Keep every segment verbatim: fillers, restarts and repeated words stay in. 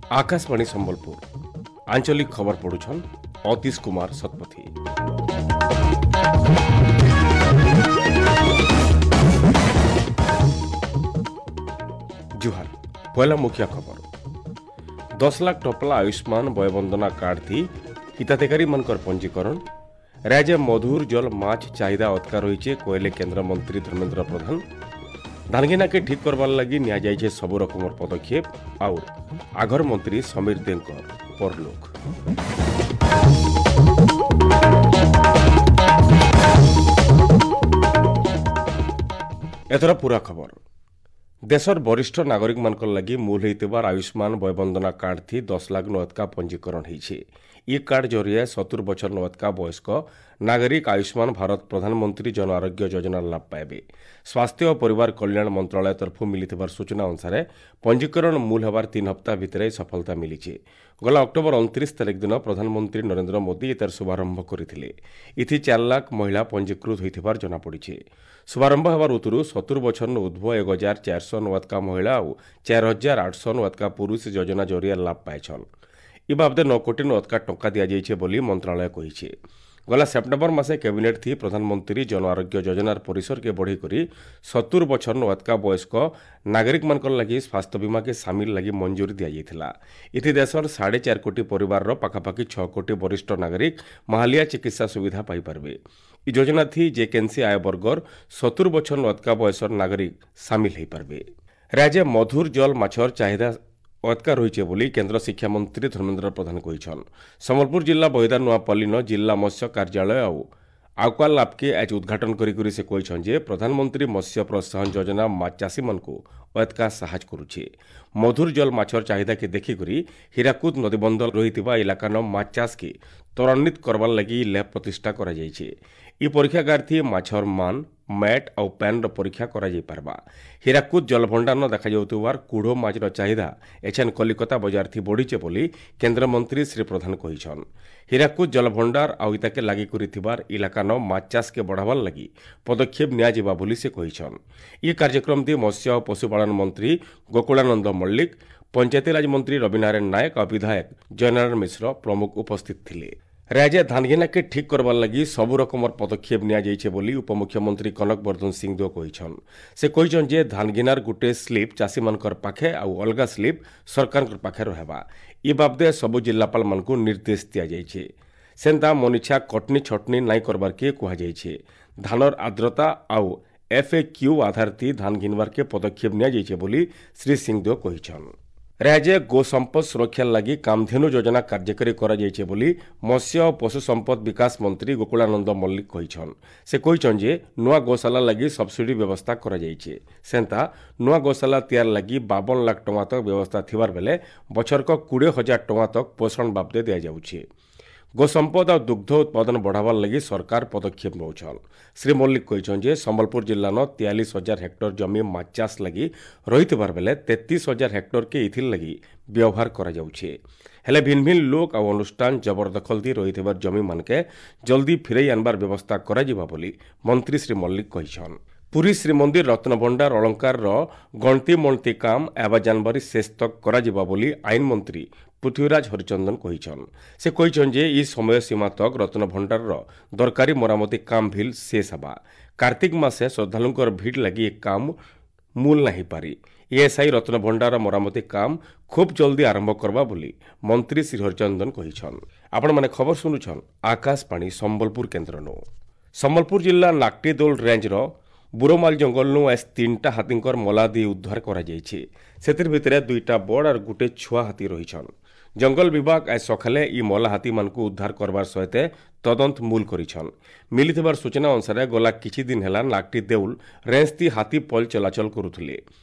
ଆକାଶବାଣୀ ସମ୍ବଲପୁର ଆଞ୍ଚଳିକ ଖବର ପଢୁଛନ୍ ଅତୀଶ କୁମାର ଶତପଥୀ। ଜୁହାର, ପହିଲା ମୁଖ୍ୟ ଖବର। ଦଶ ଲାଖ ଟପଲା ଆୟୁଷ୍ମାନ ବୟବନ୍ଦନା କାର୍ଡ ଥି ହିତାଧିକାରୀମାନଙ୍କର ପଞ୍ଜୀକରଣ। ରାଜ୍ୟ ମଧୁର ଜଲ ମାଛ ଚାହିଦା ଅଟକା ରହିଛେ କହିଲେ କେନ୍ଦ୍ରମନ୍ତ୍ରୀ ଧର୍ମେନ୍ଦ୍ର ପ୍ରଧାନ। ଧାନଗିନାକେ ଠିକ୍ କରବାର୍ ଲାଗି ନିଆଯାଇଛେ ସବୁ ରକମର ପଦକ୍ଷେପ। ଆଉ ଆଘର ମନ୍ତ୍ରୀ ସମୀର ଦେଙ୍କର ପରଲୋକ। ଏଥର ପୁରା ଖବର। ଦେଶର ବରିଷ୍ଠ ନାଗରିକମାନଙ୍କର ଲାଗି ମୂଲ ହେଇଥିବାର ଆୟୁଷ୍ମାନ ବୟବନ୍ଦନା କାର୍ଡ ଥି ଦଶ ଲାଖ ନଅତକା ପଞ୍ଜୀକରଣ ହେଇଛେ। ଇ କାର୍ଡ ଜରିଆରେ ସତୁର ବଛର ନଅତକା ବୟସ୍କ ନାଗରିକ ଆୟୁଷ୍ମାନ ଭାରତ ପ୍ରଧାନମନ୍ତ୍ରୀ ଜନ ଆରୋଗ୍ୟ ଯୋଜନାର ଲାଭ ପାଇବେ। ସ୍ୱାସ୍ଥ୍ୟ ଓ ପରିବାର କଲ୍ୟାଣ ମନ୍ତ୍ରଣାଳୟ ତରଫରୁ ମିଳିଥିବାର ସୂଚନା ଅନୁସାରେ ପଞ୍ଜୀକରଣ ମୂଲ ହେବାର ତିନି ହପ୍ତା ଭିତରେ ସଫଳତା ମିଳିଛି। ଗଲା ଅକ୍ଟୋବର ଅଣତିରିଶ ତାରିଖ ଦିନ ପ୍ରଧାନମନ୍ତ୍ରୀ ନରେନ୍ଦ୍ର ମୋଦି ଏତାର ଶୁଭାରମ୍ଭ କରିଥିଲେ। ଏଥି ଚାରି ଲାଖ ମହିଳା ପଞ୍ଜୀକୃତ ହୋଇଥିବାର ଜଣାପଡ଼ିଛି। ଶୁଭାରମ୍ଭ ହେବାର ଉତ୍ତରୁ ସତୁର ବଛର ଉଦ୍ଧ୍ୱ ଏକ ହଜାର ଚାରିଶହ ନୂଆତକା ମହିଳା ଆଉ ଚାରି ହଜାର ଆଠଶହ ନୂଆତକା ପୁରୁଷ ଯୋଜନା ଜରିଆରେ ଲାଭ ପାଇଛନ୍। ଇ ବାବଦେ ନଅ କୋଟି ନୂଆତକା ଟଙ୍କା ଦିଆଯାଇଛି ବୋଲି ମନ୍ତ୍ରଣାଳୟ କହିଛି। ଗଲା ସେପ୍ଟେମ୍ବର ମାସେ କ୍ୟାବିନେଟ୍ ଥି ପ୍ରଧାନମନ୍ତ୍ରୀ ଜନ ଆରୋଗ୍ୟ ଯୋଜନାର ପରିସରକେ ବଢ଼େଇକରି ସତୁର ବଛର ନୂଆତକା ବୟସ୍କ ନାଗରିକମାନଙ୍କର ଲାଗି ସ୍ୱାସ୍ଥ୍ୟ ବୀମାକେ ସାମିଲ ଲାଗି ମଞ୍ଜୁରୀ ଦିଆଯାଇଥିଲା। ଏଥି ଦେଶର ସାଢ଼େ ଚାରି କୋଟି ପରିବାରର ପାଖାପାଖି ଛଅ କୋଟି ବରିଷ୍ଠ ନାଗରିକ ମାହାଲିଆ ଚିକିତ୍ସା ସୁବିଧା ପାଇପାରିବେ। ଇ ଯୋଜନା ଥି ଯେକେନ୍ସି ଆୟ ବର୍ଗର ସତୁର ବଛର ନୂଆତକା ବୟସର ନାଗରିକ ସାମିଲ ହୋଇପାରିବେ। ରାଜ୍ୟ ମଧୁର ଜଲ ମାଛର ଚାହିଦା ଅଟକା ରହିছে ବୋଲି କେନ୍ଦ୍ର ଶିକ୍ଷାମନ୍ତ୍ରୀ ଧର୍ମେନ୍ଦ୍ର ପ୍ରଧାନ କହିଛନ୍। ସମ୍ବଲପୁର ଜିଲ୍ଲା ବହିଦା ନୂଆପଲ୍ଲୀନ ଜିଲ୍ଲା ମତ୍ସ୍ୟ କାର୍ଯ୍ୟାଳୟ ଆଉ ଆକ୍ୱା ଲାବ୍କେ ଆଜି ଉଦ୍ଘାଟନ କରିକରି ସେ କହିଛନ୍ ଯେ ପ୍ରଧାନମନ୍ତ୍ରୀ ମତ୍ସ୍ୟ ପ୍ରୋତ୍ସାହନ ଯୋଜନା ମାଛ ଚାଷୀମାନଙ୍କୁ ଅଟକା ସାହାଯ୍ୟ କରୁଛେ। ମଧୁର ଜଲ ମାଛର ଚାହିଦାକେ ଦେଖିକରି ହୀରାକୁଦ ନଦୀବନ୍ଧ ରହିଥିବା ଇଲାକାନ ମାଛ ଚାଷକେ ତ୍ୱରାନ୍ୱିତ କରବାର୍ ଲାଗି ଲ୍ୟାବ୍ ପ୍ରତିଷ୍ଠା କରାଯାଇଛି। ଇ ପରୀକ୍ଷାଗାର ଥି ମାଛର ମାନ, ମ୍ୟାଟ୍ ଆଉ ପ୍ୟାନ୍ର ପରୀକ୍ଷା କରାଯାଇପାରବା। ହୀରାକୁଦ ଜଳଭଣ୍ଡାରନ ଦେଖାଯାଉଥିବାର କୁଢ଼ ମାଛର ଚାହିଦା ଏଛେନ୍ କଲିକତା ବଜାର ଥି ବଢ଼ିଛେ ବୋଲି କେନ୍ଦ୍ରମନ୍ତ୍ରୀ ଶ୍ରୀ ପ୍ରଧାନ କହିଛନ୍। ହୀରାକୁଦ ଜଳଭଣ୍ଡାର ଆଉ ଇତାକେ ଲାଗି କରିଥିବାର ଇଲାକାନ ମାଛ ଚାଷକେ ବଢ଼ାବାର୍ ଲାଗି ପଦକ୍ଷେପ ନିଆଯିବା ବୋଲି ସେ କହିଛନ୍। ଇ କାର୍ଯ୍ୟକ୍ରମ ଥି ମତ୍ସ୍ୟ ଓ ପଶୁପାଳନ ମନ୍ତ୍ରୀ ଗୋକୁଳାନନ୍ଦ ମଲ୍ଲିକ, ପଞ୍ଚାୟତିରାଜ ମନ୍ତ୍ରୀ ରବିନାରାୟଣ ନାୟକ ଆଉ ବିଧାୟକ ଜୟନାରାୟଣ ମିଶ୍ର ପ୍ରମୁଖ ଉପସ୍ଥିତ ଥିଲେ। ରାଜ୍ୟ ଧାନଗିନାକେ ଠିକ୍ କରବାର୍ ଲାଗି ସବୁ ରକମର ପଦକ୍ଷେପ ନିଆଯାଇଛେ ବୋଲି ଉପମୁଖ୍ୟମନ୍ତ୍ରୀ କନକ ବର୍ଦ୍ଧନ ସିଂଦେଓ କହିଛନ୍। ସେ କହିଛନ୍ ଯେ ଧାନଗିନାର ଗୁଟେ ସ୍ଲିପ୍ ଚାଷୀମାନଙ୍କର ପାଖେ ଆଉ ଅଲଗା ସ୍ଲିପ୍ ସରକାରଙ୍କ ପାଖେ ରହେବା। ଇ ବାବଦେ ସବୁ ଜିଲ୍ଲାପାଳମାନଙ୍କୁ ନିର୍ଦ୍ଦେଶ ଦିଆଯାଇଛି। ସେନ୍ତା ମନିଛା କଟନି ଛଟନି ନାଇଁ କରବାର୍କେ କୁହାଯାଇଛି। ଧାନର ଆର୍ଦ୍ରତା ଆଉ ଏଫ୍ ଏ କ୍ୟୁ ଆଧାର ଥି ଧାନ ଘିନବାର୍କେ ପଦକ୍ଷେପ ନିଆଯାଇଛେ ବୋଲି ଶ୍ରୀ ସିଂଦେଓ କହିଛନ୍। ରାଜ୍ୟ ଗୋ ସମ୍ପଦ ସୁରକ୍ଷା ଲାଗି କାମଧେନୁ ଯୋଜନା କାର୍ଯ୍ୟକାରୀ କରାଯାଇଛି ବୋଲି ମତ୍ସ୍ୟ ଓ ପଶୁ ସମ୍ପଦ ବିକାଶ ମନ୍ତ୍ରୀ ଗୋକୁଳାନନ୍ଦ ମଲ୍ଲିକ କହିଛନ୍। ସେ କହିଛନ୍ ଯେ ନୂଆ ଗୋଶାଲା ଲାଗି ସବସିଡି ବ୍ୟବସ୍ଥା କରାଯାଇଛି। ସେନ୍ତା ନୂଆ ଗୋଶାଲା ତିଆରି ଲାଗି ବାବନ ଲାଖ ଟଙ୍କା ତକ ବ୍ୟବସ୍ଥା ଥିବାର ବେଲେ ବଛରକ କୋଡ଼ିଏ ହଜାର ଟଙ୍କା ତକ ପୋଷଣ ବାବଦେ ଦିଆଯାଉଛି। ଗୋସମ୍ପଦ ଆଉ ଦୁଗ୍ଧ ଉତ୍ପାଦନ ବଢ଼ାବାର୍ ଲାଗି ସରକାର ପଦକ୍ଷେପ ନେଉଛନ୍। ଶ୍ରୀ ମଲ୍ଲିକ କହିଛନ୍ ଯେ ସମ୍ବଲପୁର ଜିଲ୍ଲାନ ତେୟାଳିଶ ହଜାର ହେକ୍ଟର ଜମି ମାଛ ଚାଷ ଲାଗି ରହିଥିବାର ବେଲେ ତେତିଶ ହଜାର ହେକ୍ଟରକେ ଏଥିର୍ ଲାଗି ବ୍ୟବହାର କରାଯାଉଛି। ହେଲେ ଭିନ୍ନ ଭିନ୍ନ ଲୋକ ଆଉ ଅନୁଷ୍ଠାନ ଜବରଦଖଲ ଦି ରହିଥିବାର ଜମିମାନକେ ଜଲ୍ଦି ଫିରେଇ ଆନବାର ବ୍ୟବସ୍ଥା କରାଯିବା ବୋଲି ମନ୍ତ୍ରୀ ଶ୍ରୀ ମଲ୍ଲିକ କହିଛନ୍। ପୁରୀ ଶ୍ରୀମନ୍ଦିର ରତ୍ନଭଣ୍ଡାର ଅଳଙ୍କାରର ଗଣତି ମଣତି କାମ ଆବା ଜାନୁଆରୀ ଶେଷ ତକ୍ କରାଯିବା ବୋଲି ଆଇନ ମନ୍ତ୍ରୀ ପୃଥ୍ୱୀରାଜ ହରିଚନ୍ଦନ କହିଛନ୍। ସେ କହିଛନ୍ ଯେ ଇ ସମୟ ସୀମା ତକ୍ ରତ୍ନଭଣ୍ଡାରର ଦରକାରୀ ମରାମତି କାମ ଭିଲ୍ ଶେଷ ହେବା। କାର୍ତ୍ତିକ ମାସେ ଶ୍ରଦ୍ଧାଳୁଙ୍କର ଭିଡ଼ ଲାଗି ଏ କାମ ମୂଲ ନାହିଁ ପାରି। ଏଏସ୍ଆଇ ରତ୍ନଭଣ୍ଡାର ମରାମତି କାମ ଖୁବ୍ ଜଲ୍ଦି ଆରମ୍ଭ କରବା ବୋଲି ମନ୍ତ୍ରୀ ଶ୍ରୀ ହରିଚନ୍ଦନ କହିଛନ୍। ଆପଣମାନେ ଖବର ଶୁଣୁଛନ୍ ଆକାଶବାଣୀ ସମ୍ବଲପୁର କେନ୍ଦ୍ରନୁ। ସମ୍ବଲପୁର ଜିଲ୍ଲା ନାକଟିଦୋଲ ରେଞ୍ଜର ବୁରୋମାଲ ଜଙ୍ଗଲନୁ ଆজ ତିନିଟା ହାତୀଙ୍କର ମଲାଦି ଉଦ୍ଧାର କରାଯାଇଛି। ସେଥିର୍ ଭିତରେ ଦୁଇଟା ବଡ଼ ଆର୍ ଗୁଟେ ଛୁଆ ହାତୀ ରହିଛନ୍। ଜଙ୍ଗଲ ବିଭାଗ ଆଜ ସକାଳେ ଇ ମଲା ହାତୀମାନଙ୍କୁ ଉଦ୍ଧାର କରବାର ସହିତ ତଦନ୍ତ ମୂଲ କରିଛନ୍। ମିଳିଥିବାର ସୂଚନା ଅନୁସାରେ ଗଲା କିଛି ଦିନ ହେଲା ନାକଟି ଦେଉଲ ରେଞ୍ଜ ଥି ହାତୀ ପଲ ଚଳାଚଳ କରୁଥିଲେ।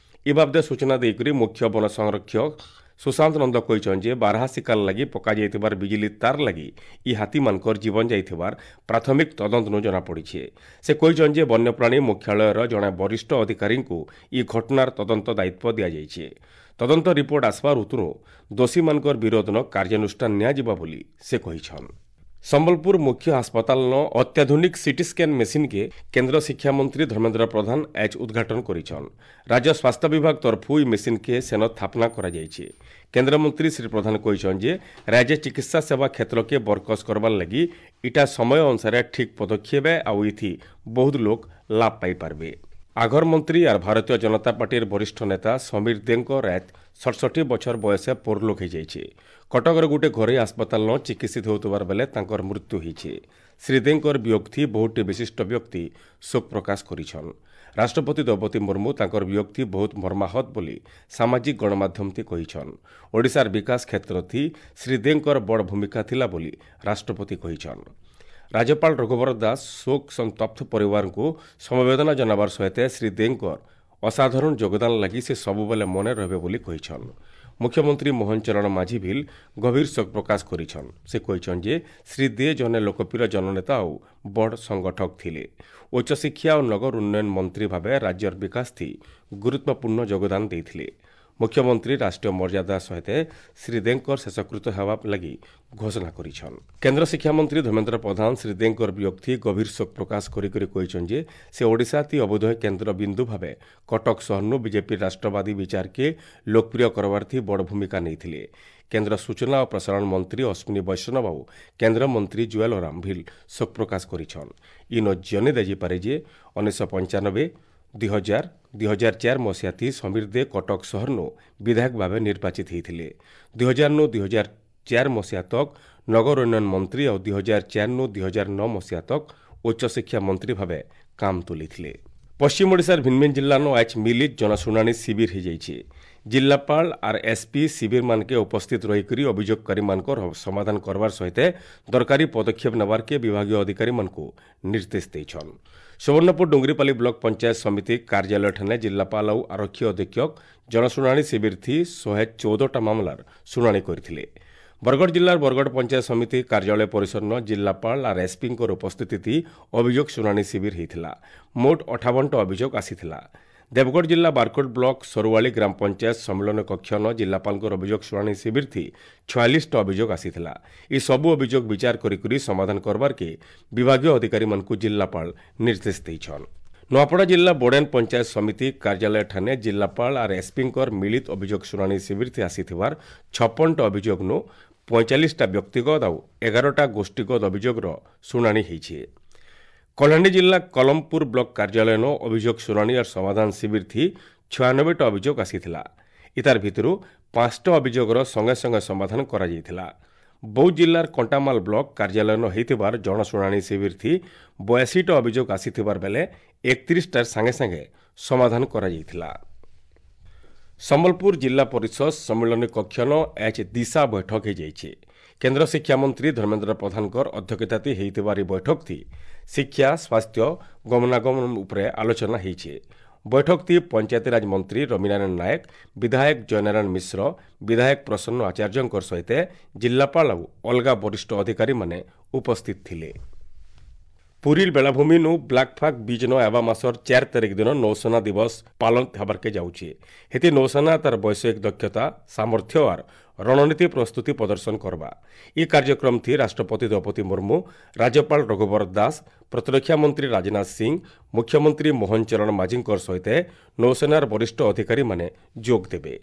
ଇ ବାବଦେ ସୂଚନା ଦେଇକରି ମୁଖ୍ୟ ବନ ସଂରକ୍ଷକ ସୁଶାନ୍ତ ନନ୍ଦ କହିଛନ୍ ଯେ ବାରହା ଶିକାର ଲାଗି ପକାଯାଇଥିବାର ବିଜୁଳି ତାର ଲାଗି ଇ ହାତୀମାନଙ୍କର ଜୀବନ ଯାଇଥିବାର ପ୍ରାଥମିକ ତଦନ୍ତନୁ ଜଣାପଡ଼ିছে। ସେ କହିଛନ୍ ଯେ ବନ୍ୟପ୍ରାଣୀ ମୁଖ୍ୟାଳୟର ଜଣେ ବରିଷ୍ଠ ଅଧିକାରୀଙ୍କୁ ଇ ଘଟଣାର ତଦନ୍ତ ଦାୟିତ୍ୱ ଦିଆଯାଇଛି। ତଦନ୍ତ ରିପୋର୍ଟ ଆସିବାର ଉତରୁ ଦୋଷୀମାନଙ୍କର ବିରୋଧନ କାର୍ଯ୍ୟାନୁଷ୍ଠାନ ନିଆଯିବ ବୋଲି ସେ କହିଛନ୍। ସମ୍ବଲପୁର ମୁଖ୍ୟ ହାସପାତାଲନ ଅତ୍ୟାଧୁନିକ ସିଟି ସ୍କାନ ମେସିନ୍କେ କେନ୍ଦ୍ର ଶିକ୍ଷାମନ୍ତ୍ରୀ ଧର୍ମେନ୍ଦ୍ର ପ୍ରଧାନ ଆଜ ଉଦ୍ଘାଟନ କରିଛନ୍। ରାଜ୍ୟ ସ୍ୱାସ୍ଥ୍ୟ ବିଭାଗ ତରଫୁ ଇ ମେସିନ୍କେ ସେନ ସ୍ଥାପନା କରାଯାଇଛି। କେନ୍ଦ୍ରମନ୍ତ୍ରୀ ଶ୍ରୀ ପ୍ରଧାନ କହିଛନ୍ ଯେ ରାଜ୍ୟ ଚିକିତ୍ସା ସେବା କ୍ଷେତ୍ରକେ ବରକସ କରବାର୍ ଲାଗି ଇଟା ସମୟ ଅନୁସାରେ ଠିକ୍ ପଦକ୍ଷେପ ଆଉ ଇଥି ବହୁତ ଲୋକ ଲାଭ ପାଇପାରବେ। ଆଘର ମନ୍ତ୍ରୀ ଆର୍ ଭାରତୀୟ ଜନତା ପାର୍ଟିର ବରିଷ୍ଠ ନେତା ସମୀର ଦେଙ୍କ ରାତ ସଡ଼ଷଠି ବଛର ବୟସେ ପରଲୋକ ହୋଇଯାଇଛି। କଟକର ଗୋଟେ ଘରୋଇ ହାସପାତାଲ ଚିକିତ୍ସିତ ହେଉଥିବାର ବେଲେ ତାଙ୍କର ମୃତ୍ୟୁ ହୋଇଛି। ଶ୍ରୀ ଦେଙ୍କର ବିୟୋଗଥି ବହୁଟି ବିଶିଷ୍ଟ ବ୍ୟକ୍ତି ଶୋକ ପ୍ରକାଶ କରିଛନ୍। ରାଷ୍ଟ୍ରପତି ଦ୍ରୌପଦୀ ମୁର୍ମୁ ତାଙ୍କର ବିୟୋଗଥି ବହୁତ ମର୍ମାହତ ବୋଲି ସାମାଜିକ ଗଣମାଧ୍ୟମଥି କହିଛନ୍। ଓଡ଼ିଶାର ବିକାଶ କ୍ଷେତ୍ରଥି ଶ୍ରୀ ଦେଙ୍କର ବଡ଼ ଭୂମିକା ଥିଲା ବୋଲି ରାଷ୍ଟ୍ରପତି କହିଛନ୍। ରାଜ୍ୟପାଳ ରଘୁବର ଦାସ ଶୋକ ସନ୍ତପ୍ତ ପରିବାରଙ୍କୁ ସମବେଦନା ଜଣାବାର ସହିତ ଶ୍ରୀ ଦେଙ୍କର ଅସାଧାରଣ ଯୋଗଦାନ ଲାଗି ସେ ସବୁବେଳେ ମନେ ରହିବେ ବୋଲି କହିଛନ୍। ମୁଖ୍ୟମନ୍ତ୍ରୀ ମୋହନ ଚରଣ ମାଝୀ ଭିଲ୍ ଗଭୀର ଶୋକ ପ୍ରକାଶ କରିଛନ୍। ସେ କହିଛନ୍ ଯେ ଶ୍ରୀ ଦେ ଜଣେ ଲୋକପ୍ରିୟ ଜନନେତା ଆଉ ବଡ଼ ସଂଗଠକ ଥିଲେ। ଉଚ୍ଚଶିକ୍ଷା ଓ ନଗର ଉନ୍ନୟନ ମନ୍ତ୍ରୀ ଭାବେ ରାଜ୍ୟର ବିକାଶ ଥି ଗୁରୁତ୍ୱପୂର୍ଣ୍ଣ ଯୋଗଦାନ ଦେଇଥିଲେ। ମୁଖ୍ୟମନ୍ତ୍ରୀ ରାଷ୍ଟ୍ରୀୟ ମର୍ଯ୍ୟାଦା ସହିତ ଶ୍ରୀ ଦେଙ୍କର ଶେଷକୃତ ହେବା ଲାଗି ଘୋଷଣା କରିଛନ୍। କେନ୍ଦ୍ର ଶିକ୍ଷାମନ୍ତ୍ରୀ ଧର୍ମେନ୍ଦ୍ର ପ୍ରଧାନ ଶ୍ରୀ ଦେଙ୍କର ବିୟୋଗଥି ଗଭୀର ଶୋକ ପ୍ରକାଶ କରି କରି କହିଛନ୍ ଯେ ସେ ଓଡ଼ିଶା ତି ଅବୋଧ କେନ୍ଦ୍ର ବିନ୍ଦୁ ଭାବେ କଟକ ସହରନୁ ବିଜେପି ରାଷ୍ଟ୍ରବାଦୀ ବିଚାରକେ ଲୋକପ୍ରିୟ କରବାର୍ଥି ବଡ଼ ଭୂମିକା ନେଇଥିଲେ। କେନ୍ଦ୍ର ସୂଚନା ଓ ପ୍ରସାରଣ ମନ୍ତ୍ରୀ ଅଶ୍ୱିନୀ ବୈଷ୍ଣବ ଆଉ କେନ୍ଦ୍ରମନ୍ତ୍ରୀ ଜୁଏଲ ଓରାମ ଭିଲ୍ ଶୋକ ପ୍ରକାଶ କରିଛନ୍। ଇନ ଜନେ ଦିଆଯାଇପାରେ ଯେ ଉଣେଇଶହ ପଞ୍ଚାନବେ ଦୁଇ ହଜାର ଦୁଇ ହଜାର ଚାରି ମସିହାଥି ସମୀର ଦେ କଟକ ସହରନୁ ବିଧାୟକ ଭାବେ ନିର୍ବାଚିତ ହୋଇଥିଲେ। ଦୁଇ ହଜାରନୁ ଦୁଇ ହଜାର ଚାରି ମସିହା ତକ୍ ନଗର ଉନ୍ନୟନ ମନ୍ତ୍ରୀ ଆଉ ଦୁଇ ହଜାର ଚାରିନୁ ଦୁଇ ହଜାର ନଅ ମସିହା ତକ୍ ଉଚ୍ଚଶିକ୍ଷା ମନ୍ତ୍ରୀ ଭାବେ କାମ ତୁଲେଇଥିଲେ। ପଶ୍ଚିମ ଓଡ଼ିଶାର ଭିନ୍ନ ଭିନ୍ନ ଜିଲ୍ଲାନୁ ଆଜ୍ ମିଳିତ ଜନଶୁଣାଣି ଶିବିର ହୋଇଯାଇଛି। ଜିଲ୍ଲାପାଳ ଆର୍ ଏସ୍ପି ଶିବିରମାନକେ ଉପସ୍ଥିତ ରହିକରି ଅଭିଯୋଗକାରୀମାନଙ୍କର ସମାଧାନ କରବାର ସହିତ ଦରକାରୀ ପଦକ୍ଷେପ ନେବାର୍କେ ବିଭାଗୀୟ ଅଧିକାରୀମାନଙ୍କୁ ନିର୍ଦ୍ଦେଶ ଦେଇଛନ୍। ସୁବର୍ଣ୍ଣପୁର ଡୁଙ୍ଗରିପାଲି ବ୍ଲକ ପଞ୍ଚାୟତ ସମିତି କାର୍ଯ୍ୟାଳୟଠାନେ ଜିଲ୍ଲାପାଳ ଆଉ ଆରକ୍ଷୀ ଅଧୀକ୍ଷକ ଜନଶୁଣାଣି ଶିବିରଥି ଶହେ ଚଉଦଟା ମାମଲାର ଶୁଣାଣି କରିଥିଲେ। ବରଗଡ଼ ଜିଲ୍ଲାର ବରଗଡ଼ ପଞ୍ଚାୟତ ସମିତି କାର୍ଯ୍ୟାଳୟ ପରିସରନ ଜିଲ୍ଲାପାଳ ଆର୍ ଏସ୍ପିଙ୍କର ଉପସ୍ଥିତି ଅଭିଯୋଗ ଶୁଣାଣି ଶିବିର ହୋଇଥିଲା। ମୋଟ ଅଠାବନଟା ଅଭିଯୋଗ ଆସିଥିଲା। ଦେବଗଡ଼ ଜିଲ୍ଲା ବାରକୋଟ ବ୍ଲକ ସରୁଆଳି ଗ୍ରାମ ପଞ୍ଚାୟତ ସମ୍ମିଳନୀ କକ୍ଷନ ଜିଲ୍ଲାପାଳଙ୍କର ଅଭିଯୋଗ ଶୁଣାଣି ଶିବିରଥି ଛୟାଳିଶଟା ଅଭିଯୋଗ ଆସିଥିଲା। ଏସବୁ ଅଭିଯୋଗ ବିଚାର କରିକରି ସମାଧାନ କରବାର୍କେ ବିଭାଗୀୟ ଅଧିକାରୀମାନଙ୍କୁ ଜିଲ୍ଲାପାଳ ନିର୍ଦ୍ଦେଶ ଦେଇଛନ୍। ନୂଆପଡ଼ା ଜିଲ୍ଲା ବୋଡେନ ପଞ୍ଚାୟତ ସମିତି କାର୍ଯ୍ୟାଳୟଠାନେ ଜିଲ୍ଲାପାଳ ଆର୍ ଏସ୍ପିଙ୍କର ମିଳିତ ଅଭିଯୋଗ ଶୁଣାଣି ଶିବିରଥି ଆସିଥିବାର ଛପନଟା ଅଭିଯୋଗନୁ ପଇଁଚାଳିଶଟା ବ୍ୟକ୍ତିଗତ ଆଉ ଏଗାରଟା ଗୋଷ୍ଠୀଗତ ଅଭିଯୋଗର ଶୁଣାଣି ହୋଇଛି। କଳାହାଣ୍ଡି ଜିଲ୍ଲା କଲମପୁର ବ୍ଲକ କାର୍ଯ୍ୟାଳୟନ ଅଭିଯୋଗ ଶୁଣାଣି ଆର୍ ସମାଧାନ ଶିବିରଥି ଛୟାନବେଟା ଅଭିଯୋଗ ଆସିଥିଲା। ଇତାର ଭିତରୁ ପାଞ୍ଚଟା ଅଭିଯୋଗର ସଙ୍ଗେ ସଙ୍ଗେ ସମାଧାନ କରାଯାଇଥିଲା। ବୌଦ୍ଧ ଜିଲ୍ଲାର କଣ୍ଟାମାଲ ବ୍ଲକ କାର୍ଯ୍ୟାଳୟନ ହୋଇଥିବାର ଜନଶୁଣାଣି ଶିବିରଥି ବୟାଅଶୀଟା ଅଭିଯୋଗ ଆସିଥିବାର ବେଲେ ଏକତିରିଶଟାର ସାଙ୍ଗେ ସାଙ୍ଗେ ସମାଧାନ କରାଯାଇଥିଲା। ସମ୍ବଲପୁର ଜିଲ୍ଲା ପରିଷଦ ସମ୍ମିଳନୀ କକ୍ଷନ ଏଚ୍ ଦିଶା ବୈଠକ ହୋଇଯାଇଛି। କେନ୍ଦ୍ର ଶିକ୍ଷାମନ୍ତ୍ରୀ ଧର୍ମେନ୍ଦ୍ର ପ୍ରଧାନଙ୍କର ଅଧ୍ୟକ୍ଷତାତି ହୋଇଥିବାର ଏହି ବୈଠକଥି ଶିକ୍ଷା, ସ୍ୱାସ୍ଥ୍ୟ, ଗମନାଗମନ ଉପରେ ଆଲୋଚନା ହୋଇଛି। ବୈଠକଥି ପଞ୍ଚାୟତିରାଜ ମନ୍ତ୍ରୀ ରବିନାରାୟଣ ନାୟକ, ବିଧାୟକ ଜୟନାରାୟଣ ମିଶ୍ର, ବିଧାୟକ ପ୍ରସନ୍ନ ଆଚାର୍ଯ୍ୟଙ୍କ ସହିତ ଜିଲ୍ଲାପାଳ ଆଉ ଅଲଗା ବରିଷ୍ଠ ଅଧିକାରୀମାନେ ଉପସ୍ଥିତ ଥିଲେ। ପୁରୀର ବେଳାଭୂମିନୁ ବ୍ଲାକ୍ ଫାକ୍ ବିଜ୍ ନ ହେବା ମାସର ଚାରି ତାରିଖ ଦିନ ନୌସେନା ଦିବସ ପାଳନ ହେବାର୍କେ ଯାଉଛି। ହେତି ନୌସେନା ତାର ବୈଷୟିକ ଦକ୍ଷତା, ସାମର୍ଥ୍ୟ ଆର୍ ରଣନୀତି ପ୍ରସ୍ତୁତି ପ୍ରଦର୍ଶନ କରବା। ଇ କାର୍ଯ୍ୟକ୍ରମ ଥି ରାଷ୍ଟ୍ରପତି ଦ୍ରୌପଦୀ ମୁର୍ମୁ, ରାଜ୍ୟପାଳ ରଘୁବର ଦାସ, ପ୍ରତିରକ୍ଷା ମନ୍ତ୍ରୀ ରାଜନାଥ ସିଂ, ମୁଖ୍ୟମନ୍ତ୍ରୀ ମୋହନ ଚରଣ ମାଝୀଙ୍କର ସହିତ ନୌସେନାର ବରିଷ୍ଠ ଅଧିକାରୀମାନେ ଯୋଗ ଦେବେ।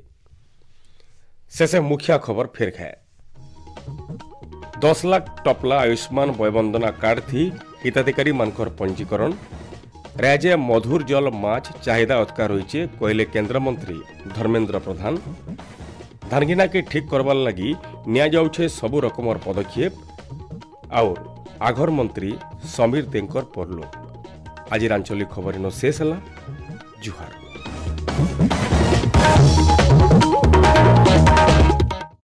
ଶେଷେ ମୁଖ୍ୟ ଖବର ଫେର ଖାଏ। ଦଶ ଲାଖ ଟପଲା ଆୟୁଷ୍ମାନ ବୟବନ୍ଦନା କାର୍ଡ ଥି ହିତାଧିକାରୀମାନଙ୍କର ପଞ୍ଜୀକରଣ। ରାଜ୍ୟ ମଧୁର ଜଲ ମାଛ ଚାହିଦା ଅଟକା ରହିছে କହିଲେ କେନ୍ଦ୍ରମନ୍ତ୍ରୀ ଧର୍ମେନ୍ଦ୍ର ପ୍ରଧାନ। ଧାନଗିନାକେ ଠିକ୍ କରବାର୍ ଲାଗି ନିଆଯାଉଛେ ସବୁ ରକମର ପଦକ୍ଷେପ। ଆଉ ଆଘର ମନ୍ତ୍ରୀ ସମୀର ଦେଙ୍କର ପରଲୋକ। ଆଜିର ଆଞ୍ଚଳିକ ଖବର ଇନ ଶେଷ ହେଲା। ଜୁହାର।